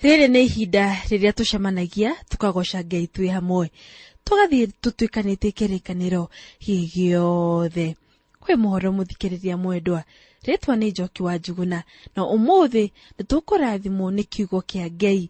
Rĩrĩ nĩ ihinda rĩrĩa tũcemanagia tũkagoca Ngai twĩ hamwe, tũgathiĩ tũtuĩkanĩtie kĩrĩkanĩro gĩothe. Kwĩ mũhoro mũthikĩrĩria mwendwa, rĩtwa nĩ Njoki wa Njuguna, na ũmũthĩ nĩtũkũrathimwo nĩ kiugo kĩa Ngai.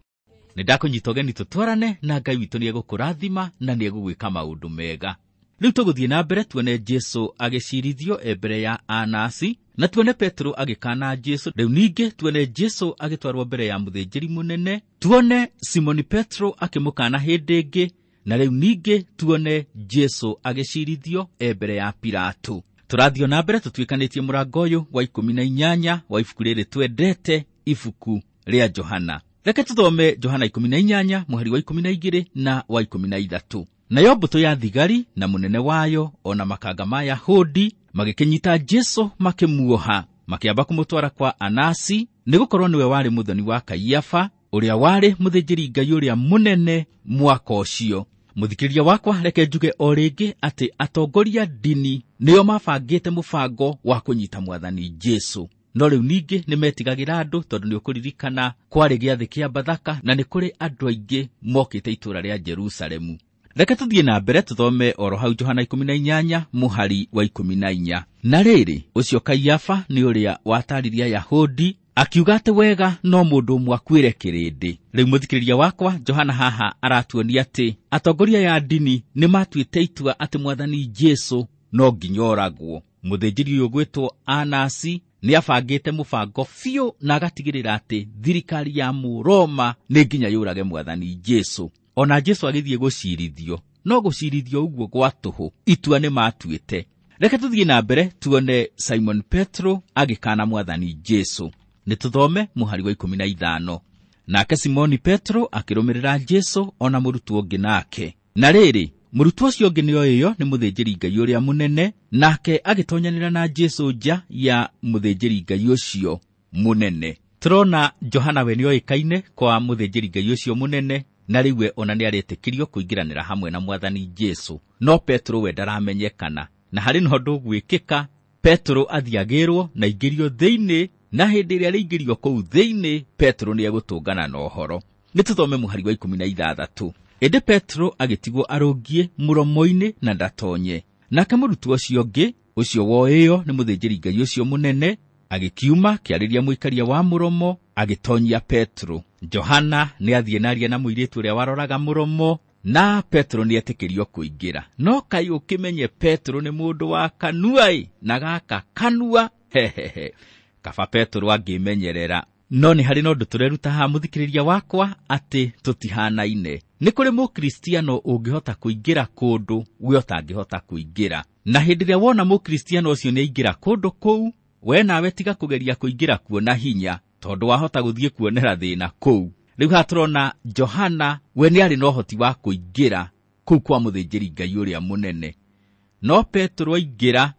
Nĩ ndakũnyita ũgeni tũtwarane na Ngai witũ nĩ egũkũrathima na nĩ egũgwĩka maũndũ mega. Rĩu tũgũthiĩ na mbere tuone Jesu agĩcirithio e mbere ya Anasi, na tuone Petero agĩkana Jesu. Rĩu ningĩ tuone Jesu agĩtwarwo mbere ya mũthĩnjĩri mũnene, tuone Simoni Petero akĩmũkana hĩndĩ ĩngĩ, na rĩu ningĩ tuone Jesu agĩcirithio e mbere ya Pilato. Tũrathiĩ na mbere tũtuĩkanĩtie mũrango ũyũ wa 18 wa ibuku rĩrĩ twendete, ibuku rĩa Johana. Reke tũthome Johana 18 mũhari wa 12 na wa 13. Nayo mbũtũ ya thigari na mũnene wayo ona makanga ma Yahudi magĩkĩnyita Jesu makĩmuoha, makĩamba kũmũtwara kwa Anasi, nĩgũkorwo nĩwe warĩ mũthoni wa Kaiafa, ũrĩa warĩ mũthĩnjĩri Ngai ũrĩa mũnene mwaka ũcio. Mũthikĩrĩria wakwa, reke njuge o rĩngĩ atĩ atongoria ndini nĩo mabangĩte mũbango wa kũnyita mwathani Jesu. No rĩu ningĩ nĩ metigagĩra andũ, tondũ nĩ ũkũririkana kwarĩ gĩathĩ kĩa Bathaka na nĩ kũrĩ andũ aingĩ mokĩte itũũra rĩa Jerusalemu. Reke tũthiĩ na mbere tũthome oro hau Johana 18 mũhari wa 14. Na rĩrĩ, ũcio Kaiafa nĩ ũrĩa wataririe Ayahudi akiuga atĩ wega no mũndũ ũmwe akuĩre kĩrĩndĩ. Rĩu mũthikĩrĩria wakwa, Johana haha aratuonia atĩ atongoria ya ndini nĩ matuĩte itua atĩ mwathani Jesu no nginya oragwo. Mũthĩnjĩri ũyũ ũgwĩtwo Anasi nĩ abangĩte mũbango biũ na agatigĩrĩra atĩ thirikari ya Mũroma nĩ nginya yũrage mwathani Jesu. Ona Jesu agĩthiĩ gũcirithio, no gũcirithio ũguo gwa tũhũ, itua nĩ matuĩte. Reke tũthiĩ na mbere tuone Simon Petro agĩkana mwathani Jesu. Nĩ tũthome mũhari wa 15. Nake Simoni Petro akĩrũmĩrĩra Jesu ona mũrutwo ũngĩ nake. Na rĩrĩ, mũrutwo ũcio ũngĩ nĩoĩyo nĩ mũthĩnjĩri Ngai ũrĩa mũnene, nake agĩtonyanĩra na Jesu nja ya mũthĩnjĩri Ngai ũcio mũnene. Tũrona Johana we nĩoĩkaine kwa mũthĩnjĩri Ngai ũcio mũnene, na rĩu we ona nĩaretĩkĩrio kũingĩranĩra hamwe na mwathani Jesu. No Petro we ndaramenyekana, na harĩ na ũndũ ũgwĩkĩka, Petro athiagĩrwo na aingĩrio thĩinĩ, na hĩndĩ ĩrĩa arĩingĩrio kũu thĩinĩ, Petro nĩegũtũngana na ũhoro. Nĩ tũthome mũhari wa 16. Ĩndĩ Petro agĩtigwo arũngiĩ mũromo-inĩ na ndatonye. Nake mũrutwo ũcio ũngĩ, ũcio woĩyo nĩ mũthĩnjĩri Ngai ũcio mũnene, agĩkiuma kĩarĩria mũikaria wa mũromo, agĩtonyia Petro. Johana nĩathiĩ na aria na mũirĩtu ũrĩa waroraga mũromo, na Petro nĩetĩkĩrio kũingĩra. No kaĩ ũkĩmenye Petro nĩ mũndũ wa kanua-ĩ, na gaka kanua, hehehe. Kaba Petro angĩmenyerera. No nĩ harĩ na ũndũ tũreruta haha mũthikĩrĩria wakwa, atĩ tũtihanaine. Nĩ kũrĩ mũkristiano ũngĩhota kũingĩra kũndũ we ũtangĩhota kũingĩra. Na hĩndĩ ĩrĩa wona mũkristiano ũcio nĩaingĩra kũndũ kũu, we nawe tiga kũgeria kũingĩra kuo na hinya, tondũ wahota gũthiĩ kuonera thĩna kũu. Rĩu haha tũrona Johana we nĩarĩ na ũhoti wa kũingĩra kũu kwa mũthĩnjĩri Ngai ũrĩa mũnene, no Petro aingĩra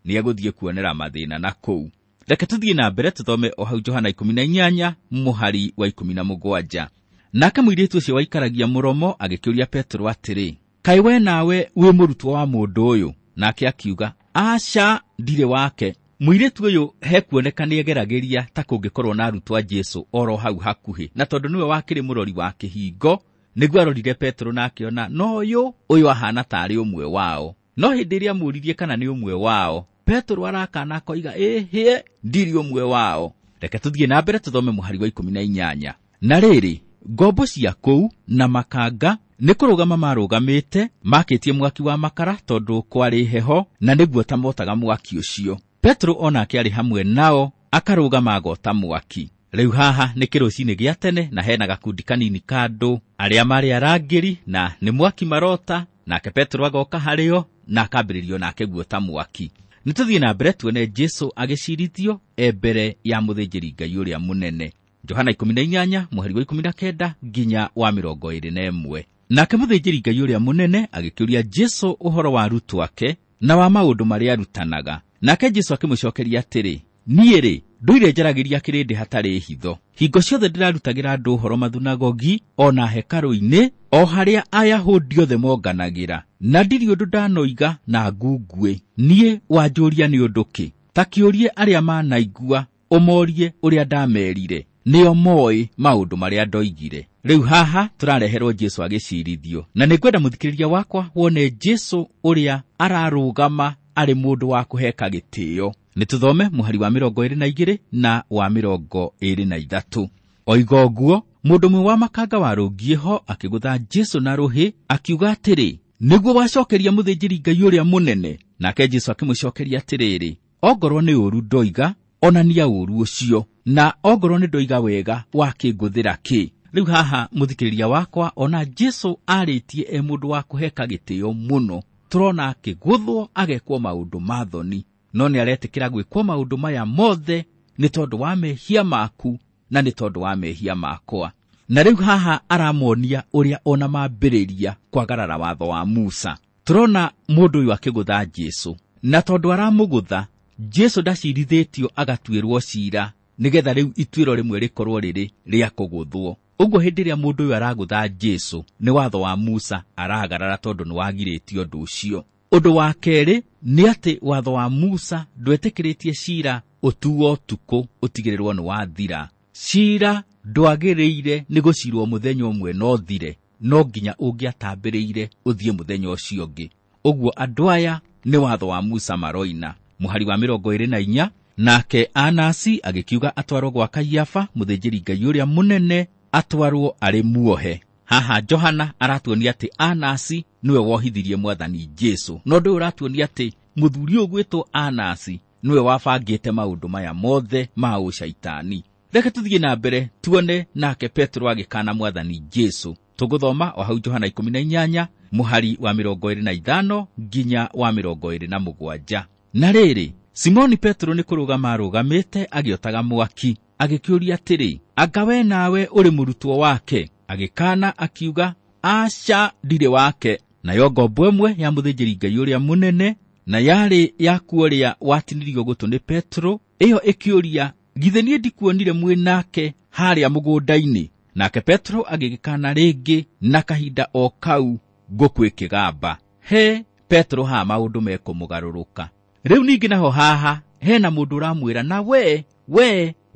nĩegũthiĩ kuonera mathĩna na kũu. Reke tũthiĩ na mbere tũthome o hau Johana 18 mũhari wa 17. Nake mũirĩtu ũcio waikaragia mũromo agĩkĩũria Petro atĩrĩ, kaĩ we nawe wĩ mũrutwo wa mũndũ ũyũ? Nake akiuga, aca, ndirĩ wake. Mũirĩtu ũyũ hekuoneka nĩegeragĩria ta kũngĩkorwo na arutwo a Jesu oro hau hakuhĩ, na tondũ nĩwe wakĩrĩ mũrori wa kĩhingo, nĩguo arorire Petro na akĩona no ũyũ ahana tarĩ ũmwe wao. No hĩndĩ ĩrĩa amũũririe kana nĩ ũmwe wao, Petro arakana akoiga, ĩhĩ, ndirĩ ũmwe wao. Reke tũthiĩ na mbere tũthome mũhari wa 18. Na rĩrĩ, ngombo cia kũu na makanga nĩ kũrũgama marũgamĩte, makĩtie mwaki wa makara tondũ kwarĩ heho, na nĩguo ta motaga mwaki ũcio. Petro onake arĩ hamwe nao, akarũgama agota mwaki. Rĩu haha nĩ kĩrũcinĩ gĩa tene, na hena gakundi kanini ka andũ arĩa marĩ arangĩri na nĩ mwaki marota, nake Petro agoka harĩo na akambĩrĩrio nake guota mwaki. Nĩ tũthiĩ na mbere tuone Jesu agĩcirithio e mbere ya mũthĩnjĩri Ngai ũrĩa mũnene. Johana 18 mũhari wa 19 nginya wa 21. Nake mũthĩnjĩri Ngai ũrĩa mũnene agĩkĩũria Jesu ũhoro wa arutwo ake na wa maũndũ marĩa arutanaga. Nake Jesu akĩmũcokeria atĩrĩ, niĩ rĩ, ndũire njaragĩria kĩrĩndĩ hatarĩ hitho. Hingo ciothe ndĩrarutagĩra andũ ũhoro mathunagogi ona hekarũ-inĩ, o harĩa Ayahudi othe monganagĩra, na ndirĩ ũndũ ndanoiga na ngunguĩ. Niĩ wanjũria nĩ ũndũ kĩ? Ta kĩũrie arĩa manaigua, ũmorie ũrĩa ndamerire. Nĩo moĩ maũndũ marĩa ndoigire. Rĩu haha tũrareherwo Jesu agĩcirithio, na nĩngwenda mũthikĩrĩria wakwa wone Jesu ũrĩa ararũgama arĩ mũndũ wa kũheka gĩtĩo. Nĩtũthome mũhari wa 22 na wa 23. Oiga ũguo, mũndũ ũmwe wa makanga warũngiĩ ho akĩgũtha Jesu na rũhĩ akiuga atĩrĩ, nĩguo wacokeria mũthĩnjĩri Ngai ũrĩa mũnene. Nake Jesu akĩmũcokeria atĩrĩrĩ, ongorwo nĩ ũũru ndoiga, onania ũũru ũcio, na ongorwo nĩ ndoiga wega, wakĩngũthĩra kĩ? Rĩu haha mũthikĩrĩria wakwa, ona Jesu arĩtie e mũndũ wa kũheka gĩtĩo mũno. Tũrona akĩgũthwo agekwo maũndũ ma thoni, no nĩ aretĩkĩra gwĩkwo maũndũ maya mothe nĩ tondũ wa mehia maku na nĩ tondũ wa mehia makwa. Na rĩu haha aramonia ũrĩa ona mambĩrĩria kwagarara watho wa Musa. Tũrona mũndũ ũyũ akĩgũtha Jesu, na tondũ aramũgũtha, Jesu ndacirithĩtio agatuĩrwo cira, nĩgetha rĩu ituĩro rĩmwe rĩkorwo rĩrĩ rĩa kũgũthwo. Ũguo hĩndĩ ĩrĩa mũndũ ũyũ aragũtha Jesu, nĩ watho wa Musa aragarara tondũ nĩ wagirĩtio ũndũ ũcio. Ũndũ wa kerĩ nĩ atĩ watho wa Musa ndwetĩkĩrĩtie cira ũtuo ũtukũ ũtigĩrĩrwo nĩ wathira. Cira ndwagĩrĩire nĩ gũcirwo mũthenya ũmwe na ũthire, no nginya ũngĩatambĩrĩire ũthiĩ mũthenya ũcio ũngĩ. Ũguo andũ aya nĩ watho wa Musa maroina. Mũhari wa 24, nake Anasi agĩkiuga atwarwo gwa Kaiafa mũthĩnjĩri Ngai ũrĩa mũnene, atwarwo arĩ muohe. Haha Johana aratuonia atĩ Anasi nĩwe wohithirie mwathani Jesu, no ũndũ ũyũ ũratuonia atĩ mũthuri ũyũ ũgwĩtwo Anasi nĩwe wabangĩte maũndũ maya mothe ma ũcaitani. Reke tũthiĩ na mbere tuone nake Petero agĩkana mwathani Jesu. Tũgũthoma o hau Johana 18 mũhari wa 25 nginya wa 27. Na rĩrĩ, Simoni Petero nĩ kũrũgama arũgamĩte agĩotaga mwaki, agĩkĩũria atĩrĩ, anga we nawe ũrĩ mũrutwo wake? Agĩkana akiuga, aca, ndirĩ wake. Nayo ngombo ĩmwe ya mũthĩnjĩri Ngai ũrĩa mũnene, na yarĩ yakuo ũrĩa watinirio gũtũ nĩ Petero, ĩyo ĩkĩũria, githĩ niĩ ndikuonire mwĩ nake harĩa mũgũnda-inĩ? Nake Petero agĩgĩkana rĩngĩ, na kahinda o kau ngũkũ ĩkĩgamba. He Petero haha maũndũ mekũmũgarũrũka. Rĩu ningĩ naho haha hena mũndũ ũramwĩra, na we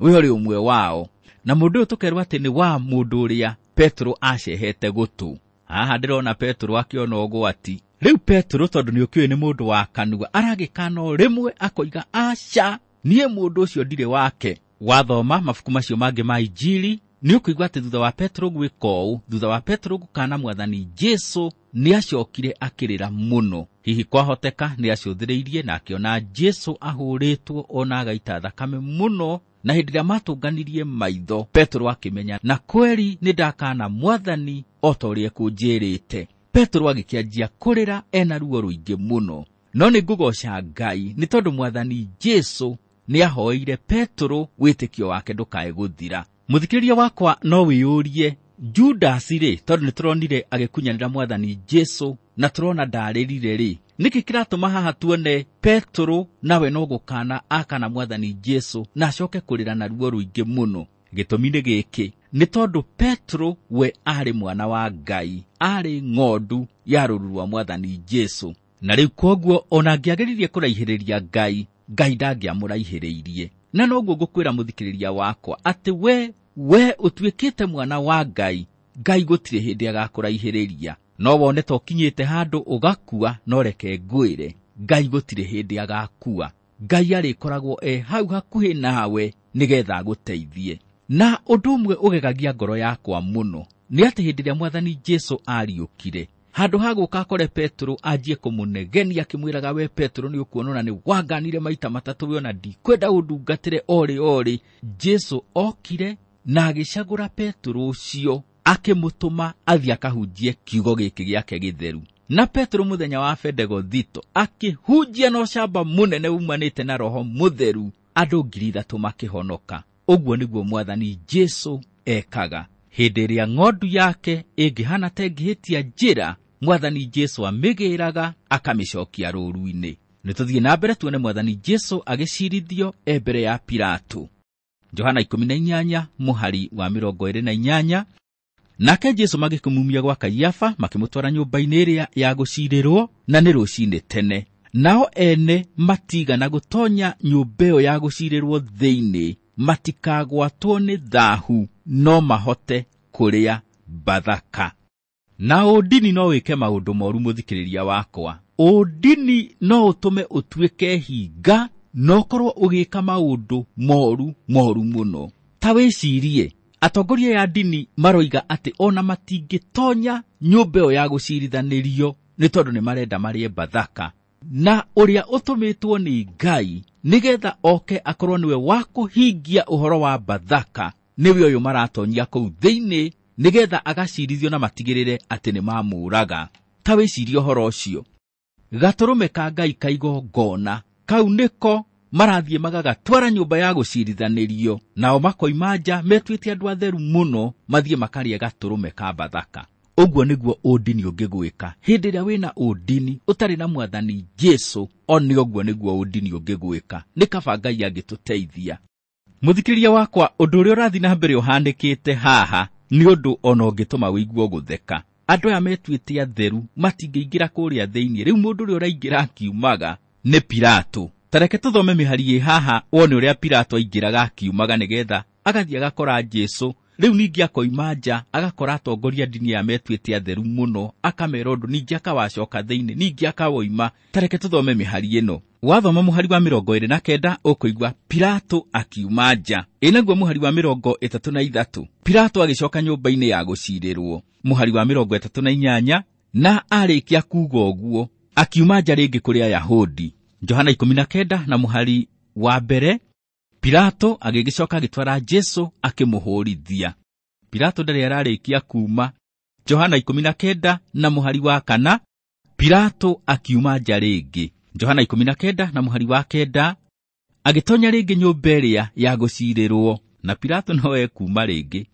ũrĩ ũmwe wao. Na mũndũ ũyũ tũkerwo atĩ nĩ wa mũndũ ũrĩa Petero acehete gũtũ. Haha ndĩrona Petero akĩona ũgwati. Rĩu Petero tondũ nĩ ũkĩũĩ nĩ mũndũ wa kanua, aragĩkana o rĩmwe akoiga, aca, niĩ mũndũ ũcio ndirĩ wake. Wathoma mabuku macio mangĩ ma Injili nĩ ũkũigua atĩ thutha wa Petero gwĩka ũũ, thutha wa Petero gũkana mwathani Jesu, nĩ acokire akĩrĩra mũno. Hihi kwahoteka nĩ acũthĩrĩirie na akĩona Jesu ahũrĩtwo ona agaita thakame mũno, na hĩndĩ ĩrĩa matũnganirie maitho, Petero akĩmenya na kweri nĩ ndakana mwathani o ta ũrĩa ekũnjĩrĩte. Petero agĩkĩanjia kũrĩra ena ruo rũingĩ mũno. No nĩ ngũgoca Ngai nĩ tondũ mwathani Jesu nĩ ahoeire Petero wĩtĩkio wake ndũkae gũthira. Mũthikĩrĩria wakwa no wĩyũrie, Judasi rĩ, tondũ nĩ tũronire agĩkunyanĩra mwathani Jesu na tũrona ndarĩrire rĩ, nĩkĩ kĩratũma haha tuone Petero nawe no gũkana akana mwathani Jesu na acoke kũrĩra na ruo rũingĩ mũno? Gĩtũmi nĩ gĩkĩ, nĩ tondũ Petero we arĩ mwana wa Ngai, arĩ ng'ondu ya rũũru rwa mwathani Jesu. Na rĩu kwoguo ona angĩageririe kũraihĩrĩria Ngai, Ngai ndangĩamũraihĩrĩirie. Na noguo ngũkwĩra mũthikĩrĩria wakwa atĩ we ũtuĩkĩte mwana wa Ngai, Ngai gũtirĩ hĩndĩ agakũraihĩrĩria. No wone ta ũkinyĩte handũ ũgakua, no reke ngwĩre, Ngai gũtirĩ hĩndĩ agakua. Ngai arĩkoragwo e hau hakuhĩ nawe nĩgetha agũteithie. Na ũndũ ũmwe ũgegagia ngoro yakwa mũno nĩ atĩ hĩndĩ ĩrĩa mwathani Jesu ariũkire, handũ ha gũka akore Petero anjie kũmũnegenia akĩmwĩraga, we Petero nĩ ũkuona ona nĩ wanganire maita matatũ, we ona ndikwenda ũndungatĩre orĩ orĩ, Jesu okire na agĩcagũra Petero ũcio akĩmũtũma athiĩ akahunjie kiugo gĩkĩ gĩake gĩtheru. Na Petero mũthenya wa Bendegothito akĩhunjia na ũcamba mũnene umanĩte na Roho Mũtheru, andũ 3,000 makĩhonoka. Ũguo nĩguo mwathani Jesu ekaga. Hĩndĩ ĩrĩa ng'ondu yake ĩngĩhana ta ĩngĩhĩtia njĩra, mwathani Jesu amĩgĩraga akamĩcokia rũũru-inĩ. Nĩ tũthiĩ na mbere tuone mwathani Jesu agĩcirithio e mbere ya Pilato. Johana 18 mũhari wa 28. Nake Jesu magĩkĩmumia gwa Kaiafa makĩmũtwara nyũmba-inĩ ĩrĩa ya gũcirĩrwo, na nĩ rũcinĩ tene. Nao ene matigana gũtonya nyũmba ĩyo ya gũcirĩrwo thĩinĩ, matikagwatwo nĩ thahu no mahote kũrĩa Bathaka. Na ũndini no wĩke maũndũ moru mũthikĩrĩria wakwa. Ũndini no ũtũme ũtuĩke hinga na ũkorwo ũgĩka maũndũ moru moru mũno. Ta wĩcirie, atongoria ya ndini maroiga atĩ ona matingĩtonya nyũmba ĩyo ya gũcirithanĩrio nĩ tondũ nĩ marenda marĩe Bathaka. Na ũrĩa ũtũmĩtwo nĩ Ngai nĩgetha oke akorwo nĩwe wa kũhingia ũhoro wa Bathaka nĩwe ũyũ maratonyia kũu thĩinĩ nĩgetha agacirithio na matigĩrĩre atĩ nĩ mamũraga. Ta wĩcirie ũhoro ũcio. Gatũrũme ka Ngai ka igongona kau nĩko marathiĩ magagatwara nyũmba ya gũcirithanĩrio, nao makoima nja metuĩte andũ atheru mũno mathiĩ makarĩe gatũrũme ka Bathaka. Ũguo nĩguo ũndini ũngĩgwĩka. Hĩndĩ ĩrĩa wĩna ũndini ũtarĩ na mwathani Jesũ, o nĩ ũguo nĩguo ũndini ũngĩgwĩka. Nĩ kaba Ngai angĩtũteithia. Mũthikĩrĩria wakwa, ũndũ ũrĩa ũrathiĩ na mbere ũhanĩkĩte haha nĩ ũndũ ona ũngĩtũma ũigue gũtheka. Andũ aya metuĩte atheru matingĩingĩra kũrĩa thĩinĩ. Rĩu mũndũ ũrĩa ũraingĩra akiumaga nĩ Pilato. Ta reke tũthome mĩhari ĩ haha wone ũrĩa Pilato aingĩraga akiumaga nĩgetha agathiĩ agakora Jesũ. Rĩu ningĩ akoima nja agakora atongoria ndini aya metuĩte atheru mũno, akamera ũndũ, ningĩ akawacoka thĩinĩ, ningĩ akawoima. Ta reke tũthome mĩhari ĩno. Wathoma mũhari wa 29 ũkũigua Pilato akiuma nja. Ĩ naguo mũhari wa 33 Pilato agĩcoka nyũmba-inĩ ya gũcirĩrwo. Mũhari wa 38 na arĩkia kuuga ũguo akiuma nja rĩngĩ kũrĩ Ayahudi. Johana 19 na mũhari wa 1 Pilato agĩgĩcoka agĩtwara Jesũ akĩmũhũrithia. Pilato ndarĩ ararĩkia kuuma. Johana 19 na mũhari wa 4 Pilato akiuma nja rĩngĩ. Johana 19 na mũhari wa 9 agĩtonya rĩngĩ nyũmba ĩrĩa ya gũcirĩrwo, na Pilato no ekuuma rĩngĩ.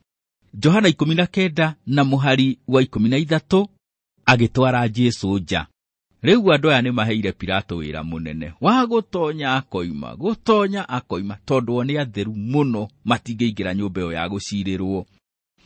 Johana 19 na mũhari wa 13 agĩtwara Jesũ nja. Rĩu andũ aya nĩmaheire Pilato wĩra mũnene wa gũtonya akoima, gũtonya akoima, tondũ o nĩ atheru mũno matingĩingĩra nyũmba ĩyo ya gũcirĩrwo.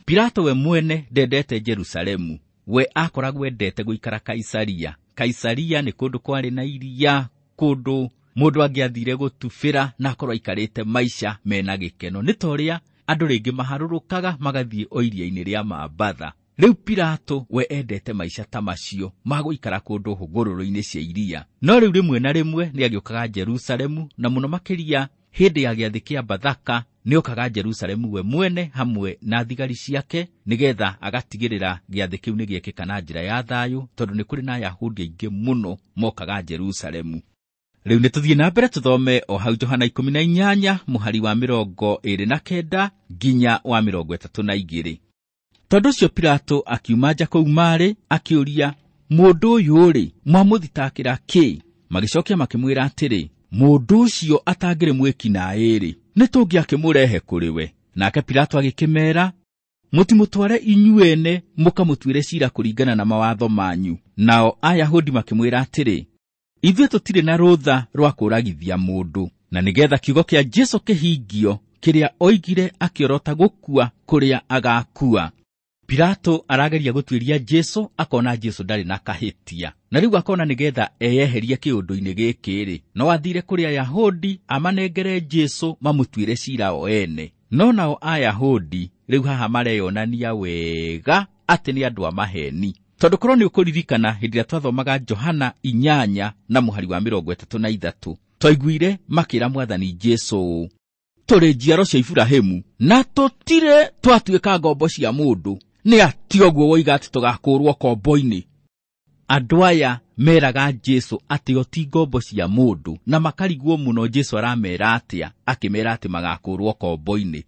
Pilato we mwene ndendete Jerusalemu, we akoragwo endete gũikara Kaisaria. Kaisaria nĩ kũndũ kwarĩ na iria, kũndũ mũndũ angĩathire gũtubĩra na akorwo aikarĩte maica mena gĩkeno. Nĩ ta ũrĩa andũ rĩngĩ maharũrũkaga magathiĩ o iria-inĩ rĩa Mambatha. Rĩu Pilato we endete maica ta macio ma gũikara kũndũ hũgũrũrũ-inĩ cia iria. No rĩu rĩmwe na rĩmwe nĩagĩũkaga Jerusalemu, na mũno makĩria hĩndĩ ya gĩathĩ kĩa Bathaka nĩokaga Jerusalemu we mwene hamwe na thigari ciake nĩgetha agatigĩrĩra gĩathĩ kĩu nĩgĩekĩka na njĩra ya thayũ, tondũ nĩ kũrĩ na Ayahudi aingĩ mũno mokaga Jerusalemu. Rĩu nĩtũthiĩ na mbere tũthome o hau Johana 18 mũhari wa 29 nginya wa 32. Tondũ ũcio Pilato akiuma nja kũu marĩ akĩũria, mũndũ ũyũ-rĩ, mwamũthitakĩra kĩ? Magĩcokia makĩmwĩra atĩrĩ, mũndũ ũcio atangĩrĩ mwĩki naĩ-rĩ, nĩtũngĩakĩmũrehe kũrĩ we. Nake Pilato agĩkĩmeera, mũtimũtware inyuene mũkamũtuĩre ciira kũringana na mawatho manyu. Nao Ayahudi makĩmwĩra atĩrĩ, ithuĩ tũtirĩ na rũtha rwa kũũragithia mũndũ. Na nĩgetha kiugo kĩa Jesũ kĩhingio kĩrĩa oigire akĩorota gũkua kũrĩa agakua. Pilato arageria gũtuĩria Jesũ, akona Jesũ ndarĩ na kahĩtia. Na rĩu akona nĩgetha eyeherie kĩũndũ-inĩ gĩkĩ-rĩ, no athire kũrĩ Ayahudi amanengere Jesũ mamũtuĩre ciira o ene. No nao Ayahudi rĩu haha mareyonania wega atĩ nĩ andũ a maheni. Tondũ korwo nĩ ũkũririkana hĩndĩ ĩrĩa twathomaga Johana 8 na mũhari wa 33, twaiguire makĩra mwathani Jesũ ũũ, tũrĩ njiaro cia Iburahĩmu na tũtirĩ twatuĩka ngombo cia mũndũ. Nĩ atĩ ũguo woiga atĩ tũgakũũrwo kombo-inĩ. Andũ aya meraga Jesũ atĩ o ti ngombo cia mũndũ, na makarigwo mũno Jesũ aramera atĩa, akĩmera atĩ magakũũrwo kombo-inĩ.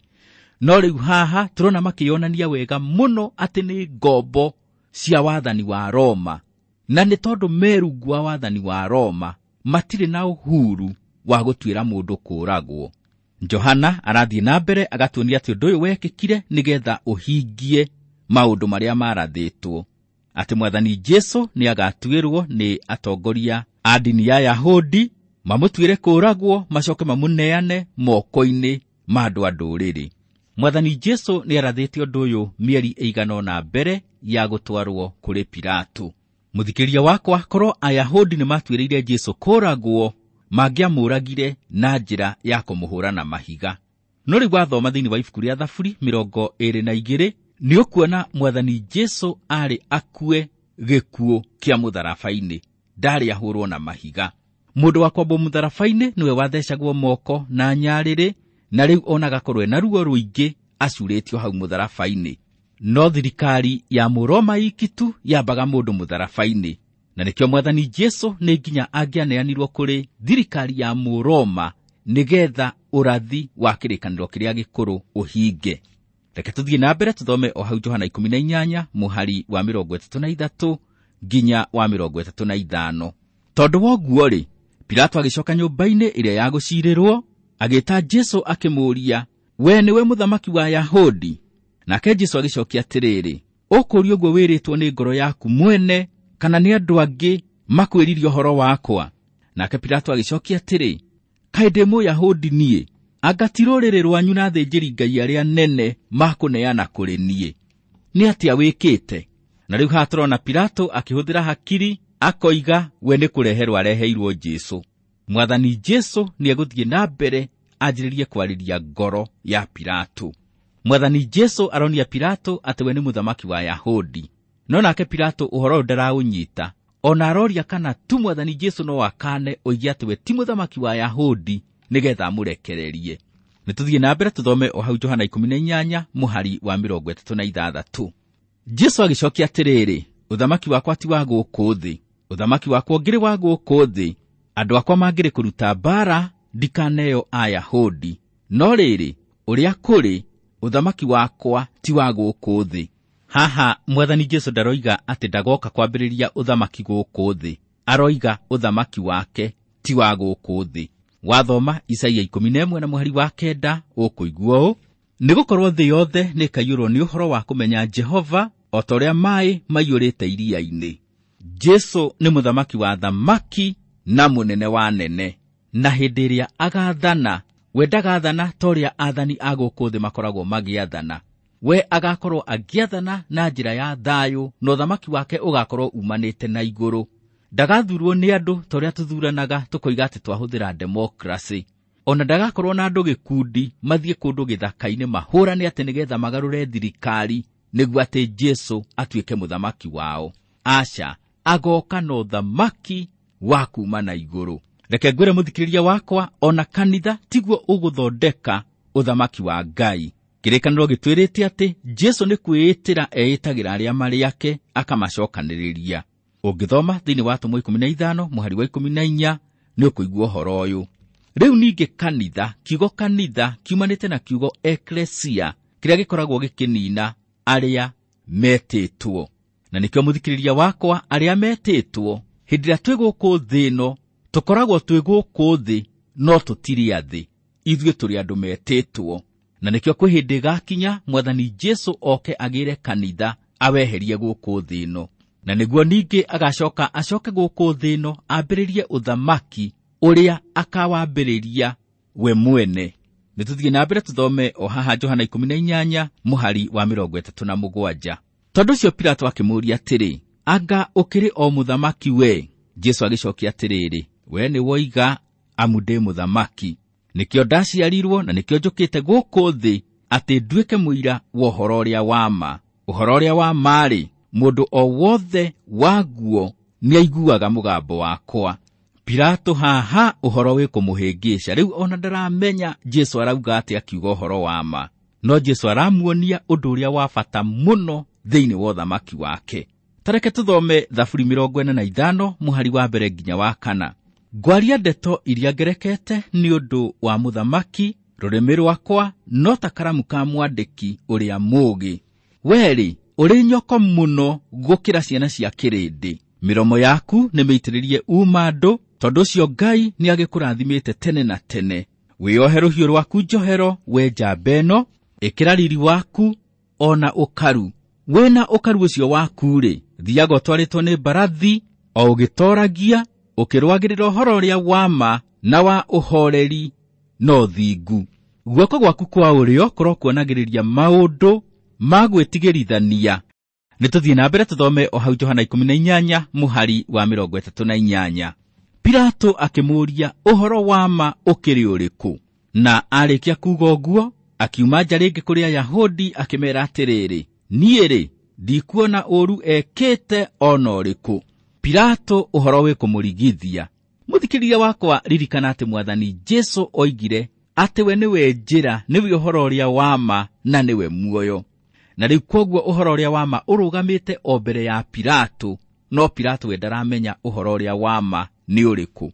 No rĩu haha tũrona makĩonania wega mũno atĩ nĩ ngombo cia wathani wa Roma, na nĩ tondũ me rungu wa wathani wa Roma matirĩ na uhuru wa gũtuĩra mũndũ kũũragwo. Johana arathiĩ na mbere agatuonia atĩ ũndũ ũyũ wekĩkire nĩgetha ũhingie maũndũ marĩa marathĩtwo, atĩ mwathani Jesũ nĩagatuĩrwo nĩ atongoria a ndini ya Yahudi, mamũtuĩre kũũragwo, macoke mamũneane moko-inĩ ma andũ a ndũrĩrĩ. Mwathani Jesũ nĩarathĩte ũndũ ũyũ mĩeri ĩigana ũna mbere ya gũtwarwo kũrĩ Pilato. Mũthikĩria wakwa, korwo Ayahudi nĩmatuĩrĩire Jesũ kũũragwo, mangĩamũragire na njĩra ya kũmũhũra na mahiga. No rĩu wathoma thĩinĩ wa ibuku rĩa Thaburi 22 nĩ ũkuona Mwathani Jesu arĩ akue gĩkuũ kĩa mũtharaba-inĩ, ndarĩ ahũrwo na mahiga. Mũndũ wa kwambwo mũtharaba-inĩ nĩwe wathecagwo moko na nyarĩrĩ, na rĩu ona agakorwo ena ruo rũingĩ acurĩtio hau mũtharaba-inĩ. No thirikari ya Mũroma iki tu yambaga mũndũ mũtharaba-inĩ, na nĩkĩo Mwathani Jesu nĩ nginya angĩaneanirwo kũrĩ thirikari ya Mũroma nĩgetha ũrathi wa kĩrĩkanĩro kĩrĩa gĩkũrũ ũhinge. Reke tũthiĩ na mbere tũthome o hau Johana 18 mũhari wa 33 nginya wa 35. Tondũ wa ũguo-rĩ, Pilato agĩcoka nyũmba-inĩ ĩrĩa ya gũcirĩrwo, agĩĩta Jesu akĩmũũria, we nĩwe mũthamaki wa Ayahudi? Nake Jesu agĩcokia atĩrĩrĩ, ũkũũria ũguo wĩrĩtwo nĩ ngoro yaku mwene, kana nĩ andũ angĩ makwĩririe ũhoro wakwa? Nake Pilato agĩcokia atĩrĩ, kaĩ ndĩ Mũyahudi niĩ? Anga ti rũrĩrĩ rwanyu na athĩnjĩri Ngai arĩa nene makũneana kũrĩ niĩ? Nĩ atĩa wĩkĩte? Na rĩu haha tũrona Pilato akĩhũthĩra hakiri, akoiga we nĩ kũreherwo areheirwo Jesu. Mwathani Jesu nĩ egũthiĩ na mbere anjĩrĩrie kwarĩria ngoro ya Pilato. Mwathani Jesu aronia Pilato atĩ we nĩ mũthamaki wa Ayahudi. No nake Pilato ũhoro ũyũ ndaraũnyita, ona aroria kana tu Mwathani Jesu no akane oige atĩ we ti mũthamaki wa Ayahudi nĩgetha amũrekererie. Nĩ tũthiĩ na mbere tũthome o hau Johana 18 mũhari wa 36. Jesu agĩcokia atĩrĩrĩ, ũthamaki wakwa ti wa gũkũ thĩ. Ũthamaki wakwa ũngĩrĩ wa gũkũ thĩ, andũ akwa mangĩrĩ kũruta mbaara ndikaneo Ayahudi. No rĩrĩ, ũrĩa kũrĩ, ũthamaki wakwa ti wa gũkũ thĩ. Haha Mwathani Jesu ndaroiga atĩ ndagoka kwambĩrĩria ũthamaki gũkũ thĩ, aroiga ũthamaki wake ti wa gũkũ thĩ. Wathoma Isaia 11 na mũhari wa 9 ũkũigua ũũ, nĩgũkorwo thĩ yothe nĩĩkaiyũrwo nĩ ũhoro wa kũmenya Jehova o ta ũrĩa maaĩ maiyũrĩte iria-inĩ. Jesu nĩ mũthamaki wa thamaki na mũnene wa nene, na hĩndĩ ĩrĩa agathana, we ndagathana ta ũrĩa athani a gũkũ thĩ makoragwo magĩathana. We agakorwo agĩathana na njĩra ya thayũ, na ũthamaki wake ũgakorwo umanĩte na igũrũ. Ndagathurwo nĩ andũ ta ũrĩa tũthuranaga tũkoiga atĩ twahũthĩra democracy. Ona ndagakorwo na andũ gĩkundi mathiĩ kũndũ gĩthaka-inĩ mahũrane atĩ nĩgetha magarũre thirikari nĩguo atĩ Jesu atuĩke mũthamaki wao. Aca, agoka na ũthamaki wa kuma na igũrũ. Reke ngwĩre mũthikĩrĩria wakwa, ona kanitha tiguo ũgũthondeka ũthamaki wa Ngai. Kĩrĩkanĩro gĩtwĩrĩte atĩ Jesu nĩ kwĩĩtĩra eĩtagĩra arĩa marĩ ake akamacokanĩrĩria. Ũngĩthoma thĩinĩ wa Atũmwo 15 mũhari wa 14 nĩ ũkũigua ũhoro ũyũ. Rĩu ningĩ kanitha, kiugo kanitha kiumanĩte na kiugo eklesia, kĩrĩa gĩkoragwo gĩkĩnina arĩa metĩtwo. Na nĩkĩo mũthikĩrĩria wakwa, arĩa metĩtwo, hĩndĩ ĩrĩa twĩ gũkũ thĩ ĩno, tũkoragwo twĩ gũkũ thĩ, no tũtirĩ a thĩ. Ithuĩ tũrĩ andũ metĩtwo. Na nĩkĩo kwĩ hĩndĩ ĩgakinya Mwathani Jesu oke agĩre kanitha aweherie gũkũ thĩ ĩno. Na nĩguo ningĩ agacoka acoke gũkũ thĩ ĩno ambĩrĩrie ũthamaki ũrĩa akawambĩrĩria we mwene. Nĩ tũthiĩ na mbere tũthome o haha Johana 18 mũhari wa 37. Tondũ ũcio Pilato akĩmũũria atĩrĩ, anga ũkĩrĩ o mũthamaki we? Jesu agĩcokia atĩrĩrĩ, we nĩ woiga amu ndĩ mũthamaki. Nĩkĩo ndaciarirwo na nĩkĩo njũkĩte gũkũ thĩ atĩ nduĩke mũira wa ũhoro ũrĩa wa ma. Ũhoro ũrĩa wa ma-rĩ, mũndũ o wothe waguo nĩaiguaga mũgambo wakwa. Pilato haha ũhoro wĩ kũmũhĩngĩca. Rĩu ona ndaramenya Jesu arauga atĩ akiuga ũhoro wa ma. No Jesu aramuonia ũndũ ũrĩa wa bata mũno thĩinĩ wa ũthamaki wake. Ta reke tũthome Thaburi 45 mũhari wa mbere nginya wa 4. Ngwaria ndeto iria ngerekete nĩ ũndũ wa mũthamaki, rũrĩmĩ rwakwa no ta karamu ka mwandĩki ũrĩa mũũgĩ. Werĩ, ũrĩ nyoko mũno gũkĩra ciana cia kĩrĩndĩ. Mĩromo yaku nĩ mĩitĩrĩrie uma andũ, tondũ ũcio Ngai nĩ agĩkũrathimĩte tene na tene. Wĩohe rũhiũ rwaku njohero, we njamba ĩno, ĩkĩra riri waku ona ũkaru. Wĩna ũkaru ũcio waku-rĩ, thiaga ũtwarĩtwo nĩ mbarathi, o ũgĩtoragia, ũkĩrũagĩrĩra ũhoro ũrĩa wa ma na wa ũhoreri na ũthingu. Guoko gwaku kwa ũrĩo kũrokuonagĩrĩria maũndũ ma gwĩtigĩrithania. Nĩ tũthiĩ na mbere tũthome o hau Johana 18 mũhari wa 38. Pilato akĩmũũria ũhoro wa ma ũkĩrĩ ũrĩkũ? Na arĩkia kuuga ũguo, Akiuma nja rĩngĩ kũrĩ Ayahudi akĩmeera atĩrĩrĩ, niĩ-rĩ, ndikuona ũũru ekĩte o na ũrĩkũ. Pilato ũhoro wĩ kũmũrigithia. Mũthikĩrĩria wakwa, ririkana atĩ Mwathani Jesu oigire atĩ we nĩwe njĩra, nĩwe ũhoro ũrĩa wa ma na nĩwe muoyo. Na rĩu kwoguo ũhoro ũrĩa wa ma ũrũgamĩte o mbere ya Pilato, no Pilato we ndaramenya ũhoro ũrĩa wa ma nĩ ũrĩkũ.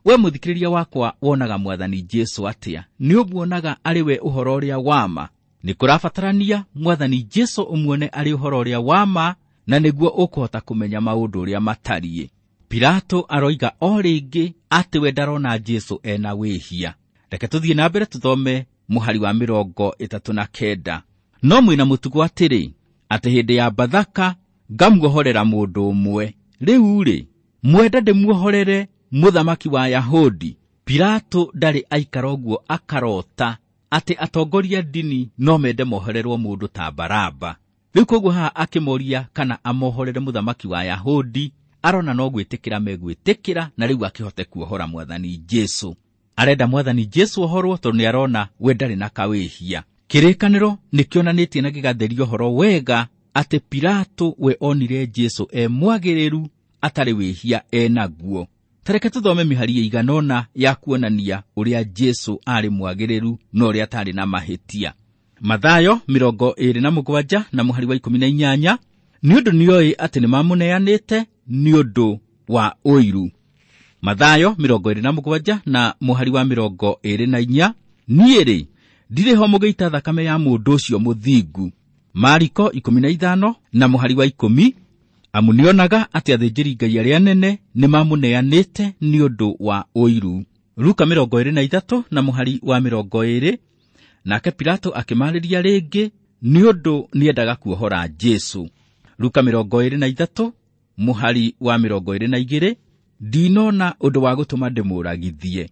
We mũthikĩrĩria wakwa, wonaga Mwathani Jesu atĩa? Nĩ ũmuonaga arĩ we ũhoro ũrĩa wa ma? Nĩ kũrabatarania Mwathani Jesu ũmuone arĩ ũhoro ũrĩa wa ma, na nĩguo ũkũhota kũmenya maũndũ ũrĩa matariĩ. Pilato aroiga o rĩngĩ atĩ we ndarona Jesu ena wĩhia. Reke tũthiĩ na mbere tũthome mũhari wa 39. No mwĩna mũtugo atĩrĩ, atĩ hĩndĩ ya Bathaka ngamuohorera mũndũ ũmwe. Rĩu-rĩ, mwenda ndĩmuohorere mũthamaki wa Ayahudi? Pilato ndarĩ aikara ũguo akarota atĩ atongoria ndini no mende mohererwo mũndũ ta Baraba. Rĩu koguo haha akĩmoria kana amohorere mũthamaki wa Ayahudi, arona no gwĩtĩkĩra megwĩtĩkĩra, na rĩu akĩhote kuohora Mwathani Jesu. Arenda Mwathani Jesu ohorwo tondũ nĩ arona we ndarĩ na kawĩhia. Kĩrĩkanĩro nĩkĩonanĩtie na gĩgatheria ũhoro wega atĩ Pilato we onire Jesu e mwagĩrĩru atarĩ wĩhia enaguo. Tareke tũthome mĩhari ĩigana ũna ya kuonania ũrĩa Jesu aarĩ mwagĩrĩru na ũrĩa atarĩ na mahĩtia. Mathayo 27 na mũhari wa 18, nĩ ũndũ nĩoĩ atĩ nĩmamũneanĩte nĩ ũndũ wa ũiru. Mathayo 27 na mũhari wa 24, niĩ-rĩ, ndirĩ ho mũgĩita thakame ya mũndũ ũcio mũthingu. Mariko 15 na mũhari wa 10, amu nĩonaga atĩ athĩnjĩri Ngai arĩa anene nĩmamũneanĩte nĩ ũndũ wa ũiru. Luka 23 na mũhari wa 20, nake Pilato akĩmarĩria rĩngĩ nĩ ũndũ nĩendaga kuohora Jesu. Luka 23 mũhari wa 22, ndinona ũndũ wa gũtũma ndĩmũragithie.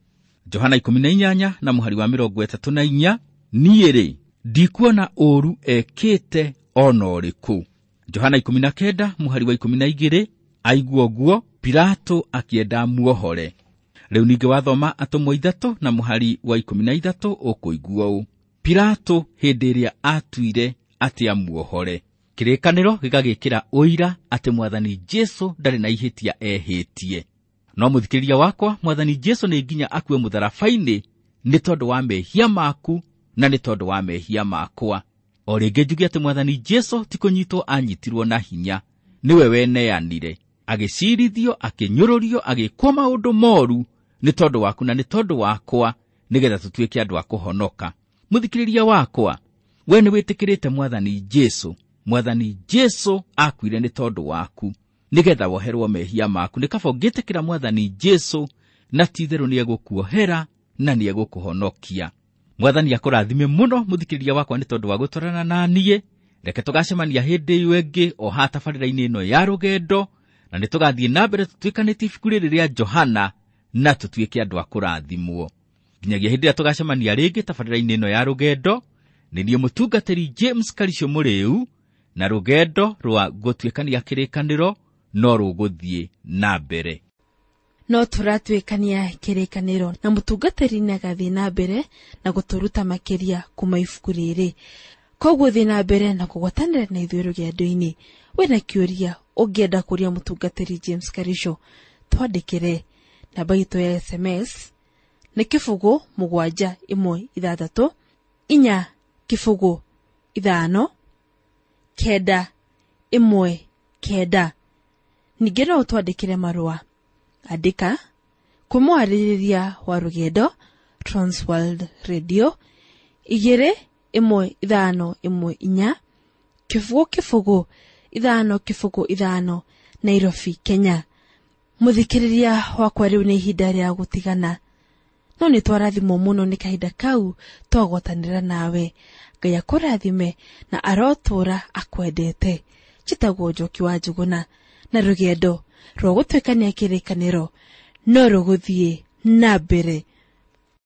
Johana 18 na mũhari wa 34, niĩ-rĩ, ndikuona ũũru ekĩte o na ũrĩkũ. Johana 19 mũhari wa 12, aigua ũguo Pilato akĩenda muohore. Rĩu ningĩ wathoma atũmwo 3 na mũhari wa 13 ũkũigua ũũ, Pilato hĩndĩ ĩrĩa atuire atĩ amuohore. Kĩrĩkanĩro gĩgagĩkĩra ũira atĩ Mwathani Jesu ndarĩ na ihĩtia ehĩtie. No mũthikĩrĩria wakwa, Mwathani Jesu nĩ nginya akue mũtharaba-inĩ nĩ tondũ wa mehia maku na nĩ tondũ wa mehia makwa. O rĩngĩ njuge atĩ Mwathani Jesu ti kũnyitwo anyitirwo na hinya, nĩwe weneanire, agĩcirithio, akĩnyũrũrio, agĩkwo maũndũ moru nĩ tondũ waku na nĩ tondũ wakwa, nĩgetha tũtuĩke andũ a kũhonoka. Mũthikĩrĩria wakwa, we nĩ wĩtĩkĩrĩte Mwathani Jesu. Mwathani Jesu akuire nĩ tondũ waku nĩgetha woherwo mehia maku. Nĩ kaba ũngĩtĩkĩra Mwathani Jesu, na ti-itherũ nĩegũkuohera na nĩegũkũhonokia. Mwathani akũrathime mũno mũthikĩrĩria wakwa nĩ tondũ wa gũtwarana na niĩ. Reke tũgacemania hĩndĩ ĩyo ĩngĩ o haha tabarĩra-inĩ ĩno ya rũgendo, na nĩ tũgathiĩ na mbere tũtuĩkanĩtie ibuku rĩrĩ rĩa Johana na tũtuĩke andũ a kũrathimwo. Nginyagia hĩndĩ ĩrĩa tũgacemania rĩngĩ tabarĩra-inĩ ĩno ya rũgendo, nĩ niĩ mũtungatĩri James Karisho Mũrĩu, na rũgendo rwa gũtuĩkania kĩrĩkanĩro no rũgũthiĩ na mbere. No tũratuĩkania kĩrĩkanĩro na mũtungatĩri nĩagathiĩ na mbere na gũtũruta makĩria kuma ibuku rĩrĩ. Koguo thiĩ na mbere na kũgwatanĩra na ithuĩ rũgendo-inĩ. Wĩna kĩũria ũngĩenda kũria mũtungatĩri James Karisho, twandĩkĩre. Namba itũ ya SMS nĩ 0 7 1 6 4 0 5 9 1 9. Ningĩ no ũtwandĩkĩre marũa. Andĩka kwĩ mwarĩrĩria wa rũgendo Transworld Radio 2 1 5 1 4 0 0 5 0 5 Nairobi, Kenya. Mũthikĩrĩria wakwa, rĩu nĩ ihinda rĩa gũtigana, no nĩ twarathimwo mũno nĩ kahinda kau twagwatanĩra nawe. Ngai akũrathime na arotũra akwendete. Njĩtagwo Njoki wa Njũgũna, na rũgendo rwa gũtuĩkania kĩrĩkanĩro no rũgũthiĩ na mbere.